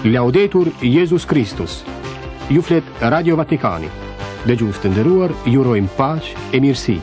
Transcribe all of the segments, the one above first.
Laudetur Jezus Kristus. Ju flet Radio Vatikani. Dëgjues të nderuar, ju urojmë paqe e mirësi.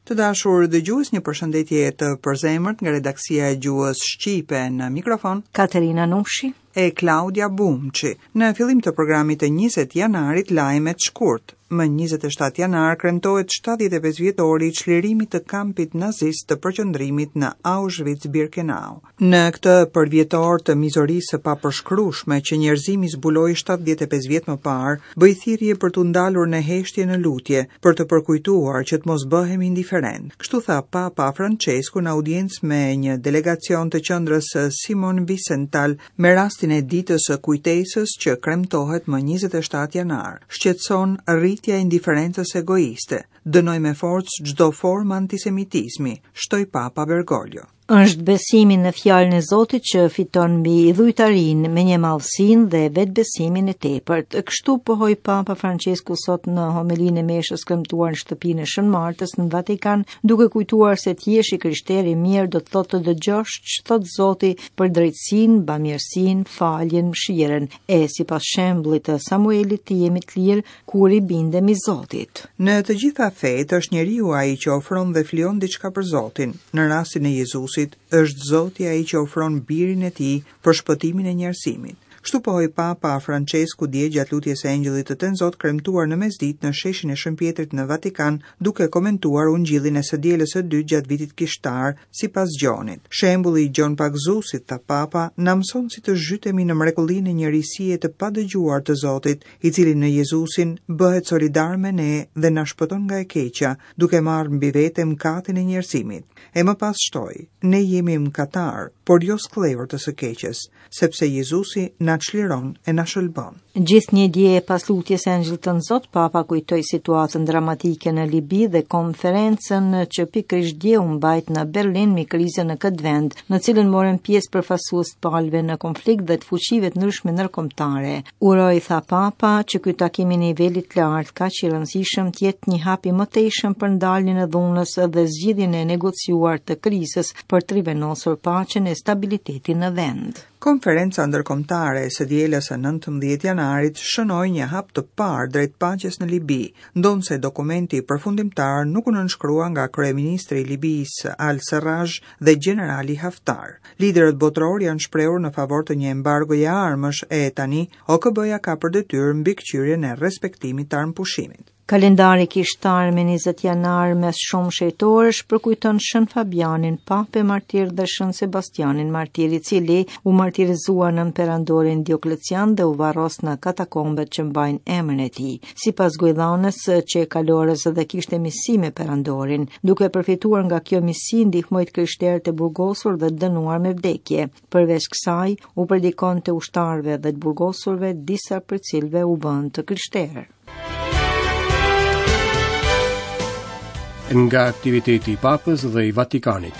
Të dashur dëgjues, një përshëndetje të përzemërt nga redaksia e gjuhës shqipe në mikrofon Katerina Nushi e Klaudia Bumçi. Në fillim të programit të 20 janarit lajmet shkurt. Më 27 janar kremtohet 75 vjetori i çlirimit të kampit nazist të përqendrimit në Auschwitz-Birkenau. Në këtë përvjetor të mizorisë së papërshkrueshme që njerëzimi zbuloi 75 vjet më parë, bëj thirrje për t'u ndalur në heshtje në lutje, për të përkujtuar që të mos bëhemi indiferentë. Kështu tha Papa Francesku në audiencë me një delegacion të qendrës Simon Wiesenthal me rastin e ditës së kujtesës që kremtohet më 27 janar. Shqetëson rritja e indiferencës egoiste. Dënoj me forcë çdo formë antisemitizmi, shtoi Papa Bergoglio. Është besimi në fjalën e Zotit që fiton mbi idhujtarinë, mendjemadhësinë dhe vetëbesimin e tepërt. Kështu pohoi Papa Francesku sot në homelinë e meshës kremtuar në shtëpinë e Shën Martës në Vatikan, duke kujtuar se të jesh i krishterë i mirë do të thotë të dëgjosh ç'thotë Zoti për drejtësinë, bamirësinë, faljen, mëshirën, e sipas shembullit të Samuelit të jemi të lirë kur i bindemi Zotit. Në të gjitha fetë është njeriu ai që ofron dhe flijon diçka për Zotin. Në rastin e Jezusit, është Zoti ai që ofron birin e tij për shpëtimin e njerëzimit. Kështu pohoi Papa Francesku dje gjatë lutjes së Engjëllit të Tënzot kremtuar në mesditë në sheshin e Shën Pjetrit në Vatikan, duke komentuar Ungjillin e së dielës së dytë gjatë vitit kishtar, sipas Gjonit. Shembulli i Gjon Pagëzuesit, tha Papa, na mëson si të zhytemi në mrekullinë e një risie të padëgjuar të Zotit, i cili në Jezusin bëhet solidar me ne dhe na shpëton nga e keqja, duke marrë mbi vete mëkatin e njerëzimit. E më pas shtoi, ne jemi mëkatarë, por jo skllevër të së keqes, sepse Jezusi na çliron e na shëlbon. Gjithnjë dje pas lutjes së Engjëllit Tënzot, Papa kujtoi situatën dramatike në Libi dhe konferencën që pikërisht dje u mbajt në Berlin mbi krizën në këtë vend, në cilën morën pjesë përfaqësues të palëve në konflikt dhe të fuqive të ndryshme ndërkombëtare. Uroj, tha Papa, që ky takim i nivelit të lartë kaq i rëndësishëm të jetë një hap i mëtejshëm për ndaljen e dhunës dhe zgjidhjen e negociuar të krizës për të rivendosur paqen e stabilitetin në vend. Konferenca ndërkombëtare e së dielës së 19 janarit shënoi një hap të parë drejt paqes në Libi, ndonëse dokumenti përfundimtar nuk u nënshkrua nga kryeministri i Libisë Al-Sarraj dhe gjenerali Haftar. Liderët botërorë janë shprehur në favor të një embargoje armësh e tani OKB-ja ka për detyrë mbikëqyrjen e respektimit të armëpushimit. Kalendari kishtar me 20 janar mes shumë shenjtorësh përkujton Shën Fabianin, Papë martir dhe Shën Sebastianin martir, i cili u martirizua nën perandorin Dioklecian dhe u varros në katakombet që mbajnë emrin e tij. Sipas gojëdhënës qe kalorës dhe kishte miqësi me perandorin, duke përfituar nga kjo miqësi ndihmoi të krishterët e burgosur dhe të dënuar me vdekje. Përveç kësaj, u predikonte ushtarëve dhe të burgosurve, disa prej të cilëve u bënë të krishterë. Nga aktiviteti i Papës dhe i Vatikanit.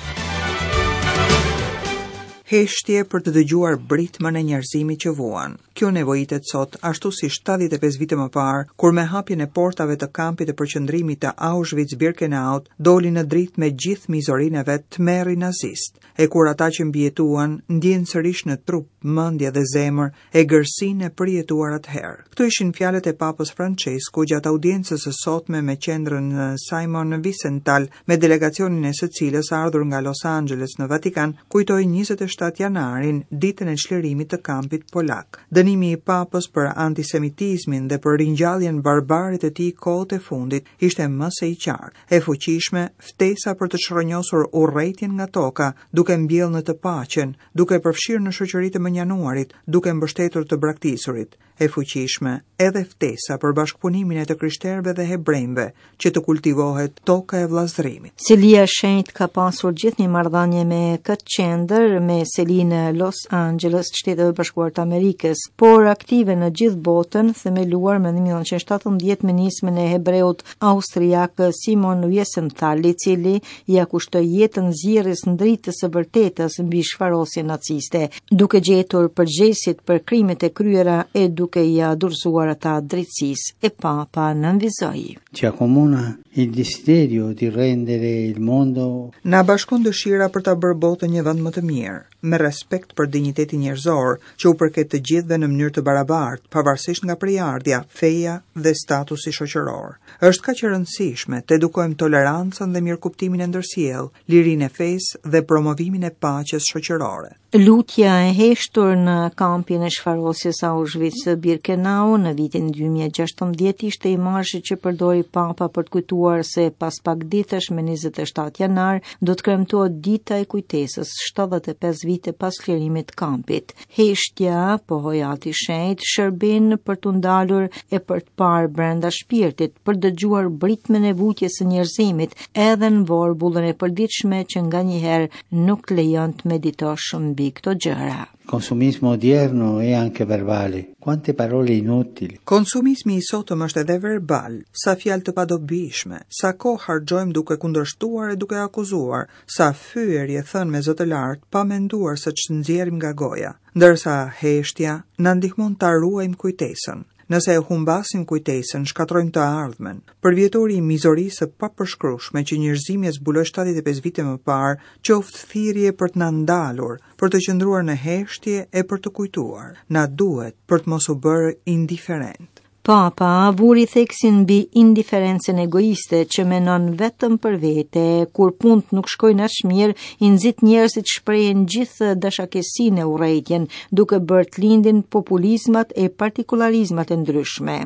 Heshtje për të dëgjuar britmën e njerëzimit që vuan. Kjo nevojitet sot, ashtu si 75 vite më parë, kur me hapjen e portave të kampit të përqendrimit të Auschwitz-Birkenaut, doli në dritë me gjithë mizorinë e vet tmerri nazist, e kur ata që mbijetuan ndjenë sërish në trup, mendje dhe zemër egërsinë e përjetuar atëherë. Këto ishin fjalët e Papës Francesku gjatë audiencës së sotme me qendrën Simon Wiesenthal, me delegacionin e së cilës ardhur nga Los Angeles në Vatikan, kujtoi 27 janarin, ditën e çlirimit të kampit polak. Dënimi i Papës për antisemitizmin dhe për ringjalljen barbare të tij kohët e fundit ishte më se i qartë. E fuqishme, ftesa për të çrrënjosur urrejtjen nga toka, duke mbjellë në të paqen, duke përfshirë në shoqëri të mënjanuarit, duke mbështetur të braktisurit. E fuqishme, edhe ftesa për bashkëpunimin e të krishterëve dhe hebrenjve, që të kultivohet toka e vëllazërimit. Selia e Shenjtë ka pasur gjithnjë marrëdhënie me këtë qendër, me seli në Los Angeles, Shteteve të Bashkuara të Amerikës, por aktive në gjithë botën, themeluar më 1917 me nismën e hebreut austriak Simon Wiesenthal, i cili ia kushtoi jetën nxjerrjes në dritë të së vërtetës mbi shfarosjen naciste, duke gjetur përgjegjësit për krimet e kryera e duke ia dorëzuar ata drejtësisë, e Papa nënvizoi. Ci accomuna il desiderio di rendere il mondo Na bashkon dëshira për ta bërë botën një vend më të mirë. me respekt për dinjitetin njerëzor, që u përket të gjithëve në mënyrë të barabartë, pavarësisht nga prejardhja, feja dhe statusi shoqëror. Është kaq e rëndësishme të edukojmë tolerancën dhe mirëkuptimin e ndërsjellë, lirinë e fesë dhe promovimin e paqes shoqërore. Lutja e heshtur në kampin e shfarosjes Auschwitz-Birkenau në vitin 2016 ishte imazhi që përdori Papa për të kujtuar se pas pak ditësh me 27 janar do të kremtohet dita e kujtesës 75 vite pas çlirimit të kampit. Heshtja, pohoi Ati i Shenjtë, shërben për t'u ndalur e për të parë brenda shpirtit, për të dëgjuar britmën e vujtjes së njerëzimit edhe në vorbullën e përditshme që nganjëherë nuk të lejon të meditosh mbi këto gjëra. Consumismo odierno è anche verbale. Quante parole inutili. Konsumizmi i sotëm është edhe verbal, sa fjalë të padobishme, sa kohë harxhojmë duke kundërshtuar e duke akuzuar, sa fyerje thënë me zë të lartë pa menduar se ç'nxjerrim nga goja. Ndërsa heshtja na ndihmon ta ruajmë kujtesën. Nëse e humbasim kujtesën, shkatërrojmë të ardhmen. Përvjetori i mizorisë së papërshkrueshme që njerëzimi e zbuloi 75 vite më parë, qoftë thirrje për të na ndalur, për të qëndruar në heshtje e për të kujtuar. Na duhet për të mos u bërë indiferentë. Papa vuri theksin mbi indiferencën egoiste që mendon vetëm për vete, kur punët nuk shkojnë aq mirë, i nxit njerëzit të shprehin gjithë dashakeqësinë e urrejtjen, duke bërë të lindin populizmat e partikularizmat e ndryshme.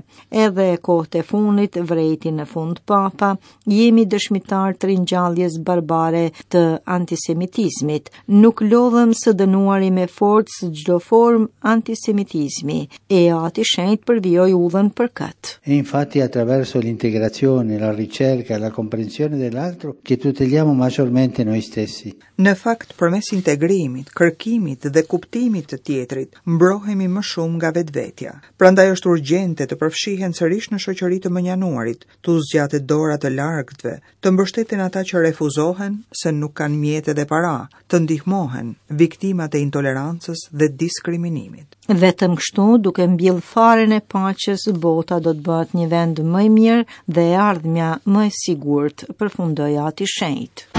Edhe kohët e fundit, vërejti në fund Papa, jemi dëshmitarë të ringjalljes barbare të antisemitizmit. Nuk lodhem së dënuari me forcë çdo formë antisemitizmi, e Ati i Shenjtë përvijoi udhën për këtë. E infatti attraverso l'integrazione, la ricerca e la comprensione dell'altro che tuteliamo maggiormente noi stessi. Në fakt, përmes integrimit, kërkimit dhe kuptimit të tjetrit, mbrohemi më shumë nga vetvetja. Prandaj është urgjente të përfshihen sërish në shoqëri të mënjanuarit, t'u zgjatet dora të largëtve, të mbështeten ata që refuzohen se nuk kanë mjete dhe para, të ndihmohen viktimat e intolerancës dhe diskriminimit. Vetëm kështu, duke mbjellë farën e paqes, bota do të bëhet një vend më i mirë dhe e ardhmja më e sigurt, përfundoi Ati i Shenjtë.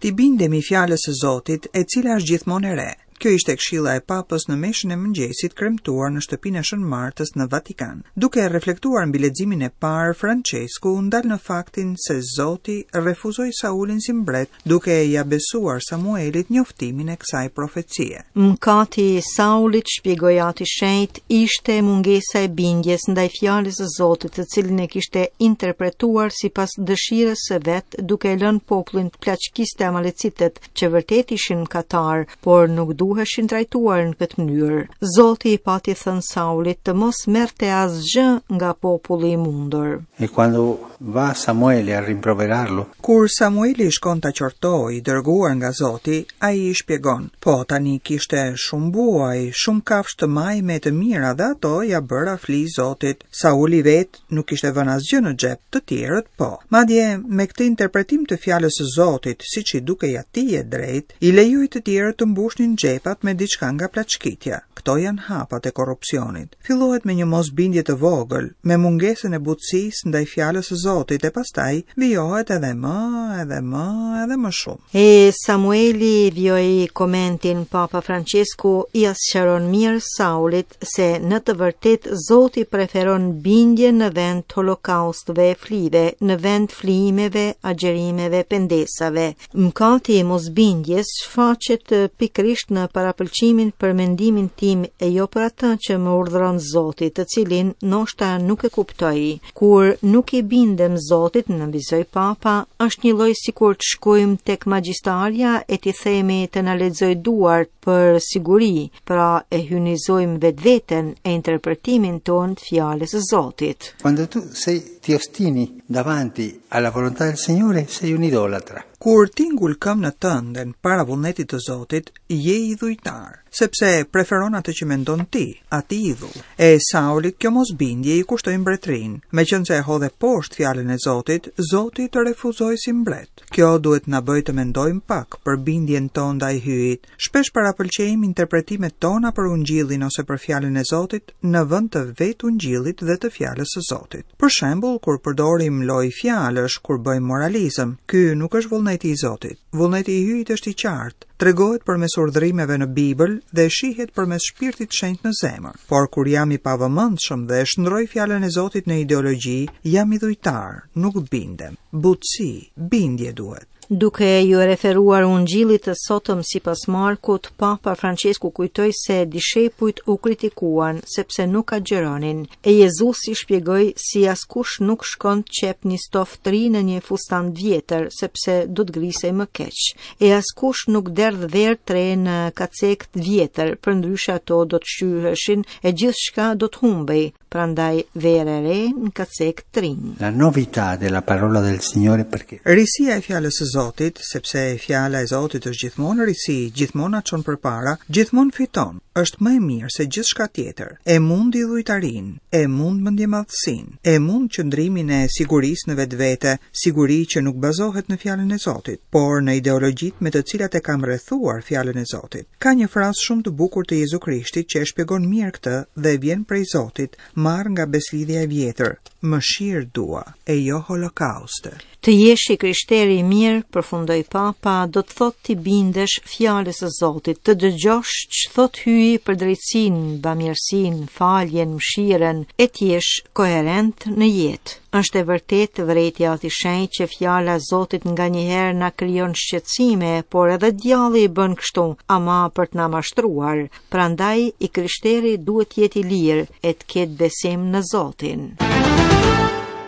T'i bindemi fjalës së Zotit, e cila është gjithmonë e re. Kjo ishte këshilla e Papës në meshën e mëngjesit kremtuar në shtëpinë e Shën Martës në Vatikan. Duke reflektuar mbi leximin e parë, Françesku u ndal në faktin se Zoti refuzoi Saulin si mbret duke ia besuar Samuelit njoftimin e kësaj profecie. Mëkati i Saulit, shpjegoi Ati i Shenjtë, ishte mungesa e bindjes ndaj fjalës së Zotit, të cilën e kishte interpretuar sipas dëshirës së vet, duke e lënë popullin të plaçkiste amalecitët, që vërtet ishin mëkatarë, por nuk duheshin trajtuar në këtë mënyrë. Zoti i pati thënë Saulit të mos merrte asgjë nga populli i mundur. E quando va Samuele a rimproverarlo, Kur Samueli shkon ta qortojë, i dërguar nga Zoti, ai i shpjegon, Po, tani kishte shumë buaj, shumë kafshë të majme e të mira dhe ato ia bëra fli Zotit. Sauli vetë nuk kishte vënë asgjë në xhep, të tjerët po. Madje, me këtë interpretim të fjalës së Zotit, siç i dukej atij e drejtë, i lejoi të tjerët të mbushnin xhepat me diçka nga plaçkitja. Këto janë hapat e korrupsionit. Fillohet me një mosbindje të vogël, me mungesën e butësisë ndaj fjalës së Zotit e pastaj vijohet edhe më, edhe më, edhe më shumë. E Samueli vijoi komentin Papa Françesku ia sqaron mirë Saulit se në të vërtetë Zoti preferon bindjen në vend të holokausteve e flive, në vend flijimeve, agjërimeve, pendesave. Mëkati i mosbindjes shfaqet pikërisht në parapëlqimin për mendimin tim e jo për atë që më urdhëron Zoti, të cilin ndoshta nuk e kuptoj. Kur nuk i bindem Zotit, nënvizoi Papa, është njëlloj sikur të shkojmë tek magjistarja e t'i themi të na lexojë duart për siguri, pra e hyjnizojmë vetveten e interpretimin tonë të fjalës së Zotit. Quando tu sei ti ostini davanti alla volontà del Signore, sei un idolatra. Kur ti ngul këmbë në tënden para vullnetit të Zotit, je idhujtar, sepse preferon atë që mendon ti, atë idhull. E Saulit kjo mosbindje i kushtoi mbretërinë. Meqenëse e hodhe poshtë fjalën e Zotit, Zoti të refuzoi si mbret. Kjo duhet të na bëjë të mendojmë pak për bindjen tonë ndaj Hyjit. Shpesh parapëlqejmë interpretimet tona për Ungjillin ose për fjalën e Zotit në vend të vetë Ungjillit dhe të fjalës së Zotit. Për shembull, kur përdorim lojë fjalësh, kur bëjmë moralizëm, ky nuk është vullneti i Zotit. Vullneti i Hyjit është i qartë. Tregohet përmes urdhërimeve në Bibël dhe shihet përmes Shpirtit Shenjt në zemër. Por kur jam i pavëmendshëm dhe e shndërroj fjalën e Zotit në ideologji, jam idhujtar, nuk bindem. Butësi, bindje duhet. Duke iu referuar Ungjillit të sotëm sipas Markut, Papa Françesku kujtoi se dishepujt u kritikuan sepse nuk agjëronin, e Jezusi shpjegoi si askush nuk shkon të qepë një stofë të re në një fustan të vjetër, sepse do të grisej më keq. E askush nuk derdh verë të re në kacekë të vjetër, përndryshe ato do të shqyheshin e gjithçka do të humbej. Prandaj verë e re në kacekë të rinj. La novità della parola del Signore perché Risia e fjalës së Zotit, sepse fjala e Zotit është gjithmonë risi, gjithmonë na çon përpara, gjithmonë fiton, është më e mirë se gjithçka tjetër. E mund idhujtarinë, e mund mendjemadhësinë, e mund qëndrimin e sigurisë në vetvete, siguri që nuk bazohet në fjalën e Zotit, por në ideologjitë me të cilat e kam rrethuar fjalën e Zotit. Ka një frazë shumë të bukur të Jezu Krishtit që e shpjegon mirë këtë dhe vjen prej Zotit, marrë nga Besëlidhja e Vjetër, Mëshirë dua, e jo holokauste. Të jesh i krishterë i mirë, përfundoi Papa, do të thotë t'i bindesh fjalës së Zotit, të dëgjosh ç'thotë Hyji për drejtësinë, bamirësinë, faljen, mëshirën, e të jesh koherent në jetë. Është e vërtetë, vërejti Ati i Shenjtë që fjala e Zotit nganjëherë na krijon shqetësime, por edhe djalli i bën kështu, ama për të na mashtruar. Prandaj i krishteri duhet të jetë i lirë e të ketë besim në Zotin.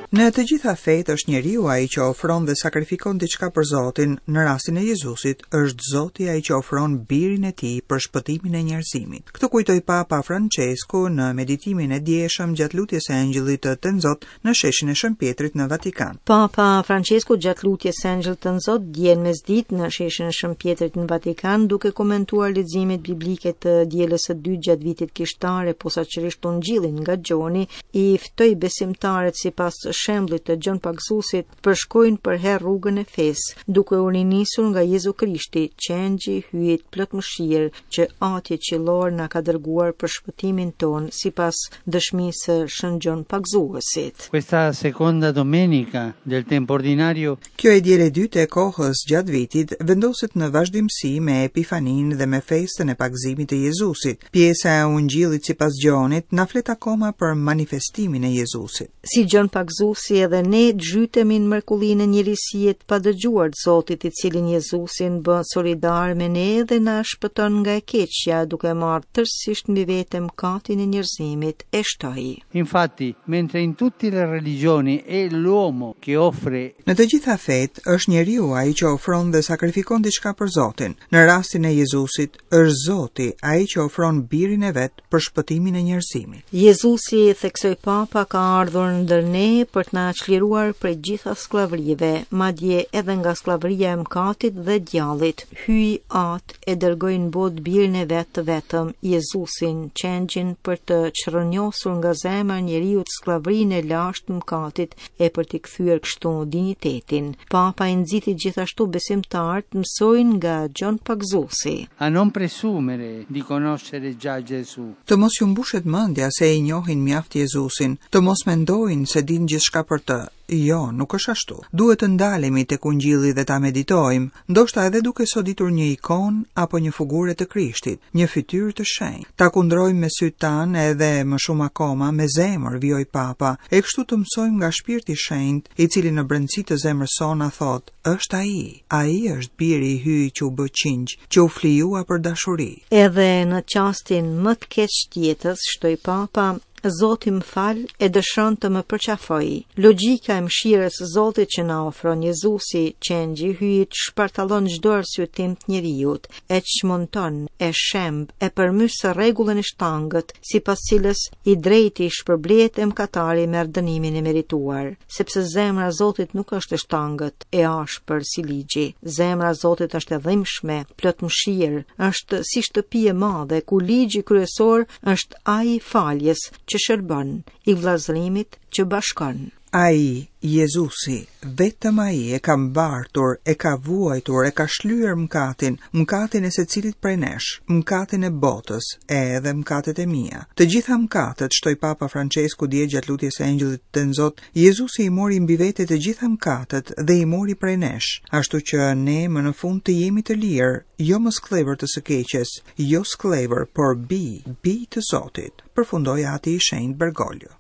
Në të gjitha fetë është njeriu ai që ofron dhe sakrifikon diçka për Zotin, në rastin e Jezusit është Zoti ai që ofron birin e tij për shpëtimin e njerëzimit. Këtë kujtoi Papa Françesku në meditimin e djeshëm gjatë lutjes së Engjëllit të Tënzot në sheshin e Shën Pjetrit në Vatikan. Papa Françesku gjatë lutjes së Engjëllit Tënzot dje në mesditë në sheshin e Shën Pjetrit në Vatikan duke komentuar leximet biblike të dielës së dytë gjatë vitit kishtar e posaçërisht Ungjillin nga Gjoni, i ftoi besimtarët sipas shembullit të Gjon Pagëzuesit të përshkojnë përherë rrugën e fesë, duke u rinisur nga Jezu Krishti, Qengji i Hyjit plot mëshirë, që Ati Qiellor na ka dërguar për shpëtimin tonë, sipas dëshmisë së Shën Gjon Pagëzuesit. Questa seconda domenica del tempo ordinario Kjo e diel e dytë e kohës gjatë vitit vendoset në vazhdimësi me Epifaninë dhe me festën e pagëzimit të Jezusit. Pjesa e Ungjillit sipas Gjonit na flet akoma për manifestimin e Jezusit. Si Gjon Pagëzuesi edhe ne të zhytemi në mrekullinë e një risie të padëgjuar të Zotit, i cili në Jezusin bëhet solidar me ne dhe na shpëton nga e keqja, duke marrë tërësisht mbi vete mëkatin e njerëzimit, e shtoi. Infatti, mentre in tutte le religioni è l'uomo che offre Në të gjitha fetë, është njeriu ai që ofron dhe sakrifikon diçka për Zotin. Në rastin e Jezusit, është Zoti ai që ofron birin e vet për shpëtimin e njerëzimit. Jezusi, theksoi Papa, ka ardhur ndër ne për të na çliruar prej gjitha skllavërive, madje edhe nga skllavëria e mëkatit dhe djallit. Hyji Atë e dërgoi në botë birin e vet të vetëm, Jezusin, Qengjin për të çrrënjosur nga zemra e njeriut skllavërinë e lashtë të mëkatit e për t'i kthyer kështu dinjitetin. Papa i nxiti gjithashtu besimtarët të mësojnë nga Gjon Pagëzuesi. A non presumere di conoscere già Gesù. Të mos ju mbushet mendja se e njohin mjaft Jezusin, të mos mendojnë se dinë gjithçka për të. Jo, nuk është ashtu. Duhet të ndalemi tek Ungjilli dhe ta meditojmë, ndoshta edhe duke soditur një ikonë apo një fugure të Krishtit, një fytyrë të shenjtë. Ta kundrojmë me sytë tanë edhe më shumë akoma me zemër, vijoi Papa, e kështu të mësojmë nga Shpirti i Shenjtë, i cili në brendësi të zemrës sonë na thotë, është ai, ai është biri i Hyjit që u bë qingj, që u flijua për dashuri. Edhe në çastin më të keq të jetës, shtoi Papa, Zoti më fal e dëshiron të më përqafojë. Logjika e mëshirës së Zotit që na ofron Jezusi, Qengji i Hyjit, shpartallon çdo arsyetim të njeriut, e çmonton, e shemb, e përmys rregullën e shtangët, sipas cilës i drejti shpërblehet e mëkatari merr dënimin e merituar, sepse zemra e Zotit nuk është e shtangët, e ashpër si ligji. Zemra e Zotit është e dhimbshme, plot mëshirë, është si shtëpi e madhe ku ligji kryesor është ai i faljes që shërbon, i vëllazërimit që bashkon. Ai, Jezusi, vetëm Ai e ka mbartur, e ka vuajtur, e ka shlyer mëkatin, mëkatin e secilit prej nesh, mëkatin e botës, e edhe mëkatet e mia. Të gjitha mëkatet, shtoi Papa Françesku dje gjatë lutjes së Engjëllit Tënzot, Jezusi i mori mbi vete të gjitha mëkatet dhe i mori prej nesh, ashtu që ne më në fund të jemi të lirë, jo më skllevër të së keqes, jo skllevër, por bij, bij të Zotit, përfundoi Ati i Shenjtë Bergoglio.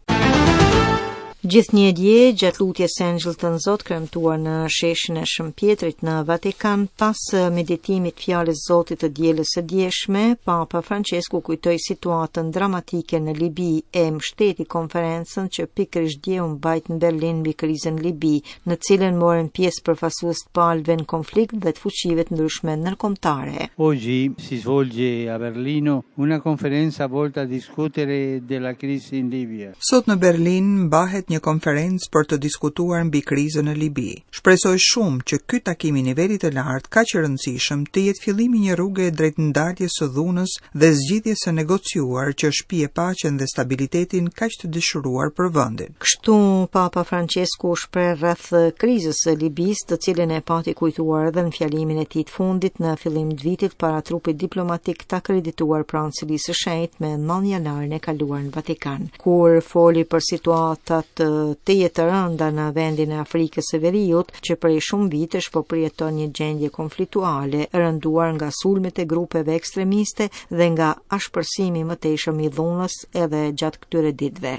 Gjithnjë dje, gjatë lutjes së Engjëllit Tënzot kremtuar në sheshin e Shën Pjetrit në Vatikan, pas meditimit fjalës Zotit të dielës së djeshme, Papa Francesku kujtoi situatën dramatike në Libi e mbështeti konferencën që pikërisht dje u mbajt në Berlin mbi krizën në Libi, në cilën morën pjesë përfaqësues të palëve në konflikt dhe të fuqive të ndryshme ndërkombëtare. Oggi si svolge a Berlino una conferenza volta a discutere della crisi in Libia. Sot në Berlin mbahet një konferencë për të diskutuar mbi krizën në Libi. Shpresoj shumë që ky takim i nivelit të lartë kaq i rëndësishëm të jetë fillimi i një rruge drejt ndaljes së dhunës dhe zgjidhjes së negociuar që shpie paqen dhe stabilitetin kaq të dëshiruar për vendin. Kështu Papa Francesku u shpreh rreth krizës së Libisë, të cilën e pati kujtuar edhe në fjalimin e tij të fundit në fillim të vitit para trupit diplomatik të akredituar pranë Selisë së Shenjtë me 9 janarin e kaluar në Vatikan. Kur foli për situatat tejet të rënda në vendin e Afrikës së Veriut, që prej shumë vitesh po përjeton një gjendje konfliktuale, rënduar nga sulmet e grupeve ekstremiste dhe nga ashpërsimi i mëtejshëm i dhunës edhe gjatë këtyre ditëve.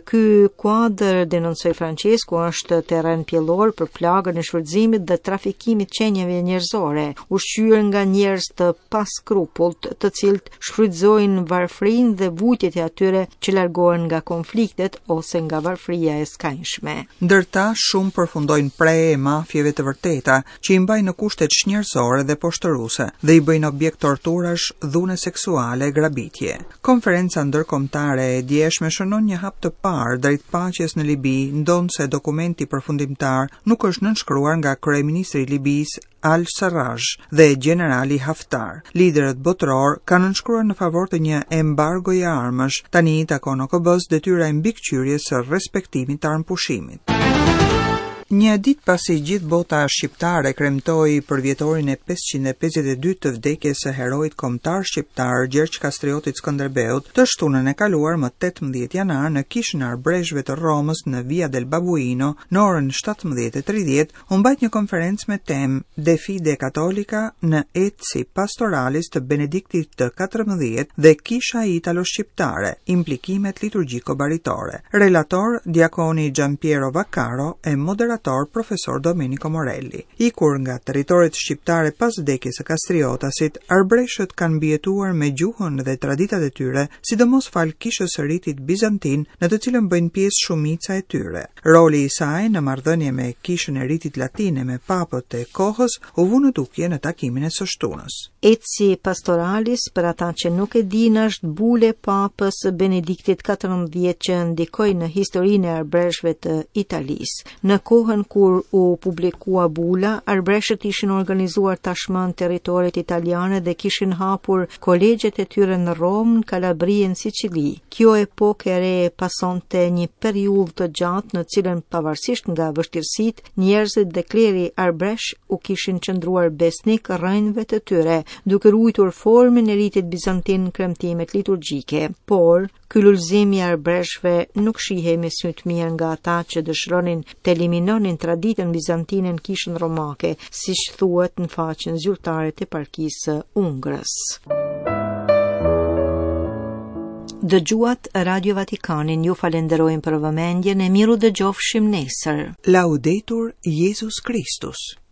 Ky kuadër, denoncoi Francesku, është terren pjellor për plagën e shfrytëzimit dhe trafikimit të qenieve njerëzore, ushqyer nga njerëz të paskrupullt, të cilët shfrytëzojnë varfërinë dhe vuajtjet e atyre që largohen nga konfliktet ose nga varfëria e skajshme. Ndër ta, shumë përfundojnë pre e mafieve të vërteta, që i mbajnë në kushte çnjerëzore dhe poshtëruese dhe i bëjnë objekt torturash, dhune seksuale e grabitje. Konferenca ndërkombëtare e djeshme shënon një hap të parë drejt paqes në Libi, ndonëse dokumenti përfundimtar nuk është nënshkruar nga kryeministri i Libisë, Al-Sarraj dhe gjenerali Haftar. Liderët botërorë kanë nënshkruar në favor të një embargoje armësh. Tani i takon OKB-së detyra e mbikëqyrjes së respektimit të armëpushimit. Një ditë pasi gjithë bota shqiptare kremtoi përvjetorin e 552 të vdekjes së heroit kombëtar shqiptar Gjergj Kastriotit Skënderbeut, të shtunën e kaluar më 18 janar në Kishën e Arbëreshëve të Romës në Via del Babuino, në orën 17:30, u mbajt një konferencë me temë De Fide Cattolica në Etsi Pastoralis të Benediktit të 14 dhe Kisha Italo-Shqiptare, implikimet liturgjiko-baritore. Relator diakoni Giampiero Vaccaro e moderator profesor Domenico Morelli. Ikur nga territoret shqiptare pas vdekjes së Kastriotasit, arbëreshët kanë mbijetuar me gjuhën dhe traditat e tyre, sidomos falë kishës së ritit bizantin, në të cilën bëjnë pjesë shumica e tyre. Roli i saj në marrëdhënie me Kishën e Ritit Latin e me papët e kohës u vu në dukje në takimin e së shtunës. Etsi Pastoralis, për ata që nuk e dinë, është bulë e Papës Benediktit XIV që ndikoi në historinë e arbëreshëve të Italisë. Në kohën kur u publikua bula, arbëreshët ishin organizuar tashmë në territoret italiane dhe kishin hapur kolegjet e tyre në Romë, në Kalabri e në Sicili. Kjo epokë e re pasonte një periudhë të gjatë në cilën pavarësisht nga vështirësitë, njerëzit dhe kleri arbëresh u kishin qëndruar besnik rrënjëve të tyre, duke ruajtur formën e ritit bizantin në kremtimet liturgjike. Por, ky lulëzim i arbëreshëve nuk shihej me sy të mirë nga ata që dëshironin të eliminonin traditën bizantine në kishën romake, siç thuhet në faqen zyrtare të eparkisë së Ungrës. Dëgjuat Radio Vatikanin, ju falenderojmë për vëmendjen e mirudëgjofshim nesër. Laudetur Jezus Kristus.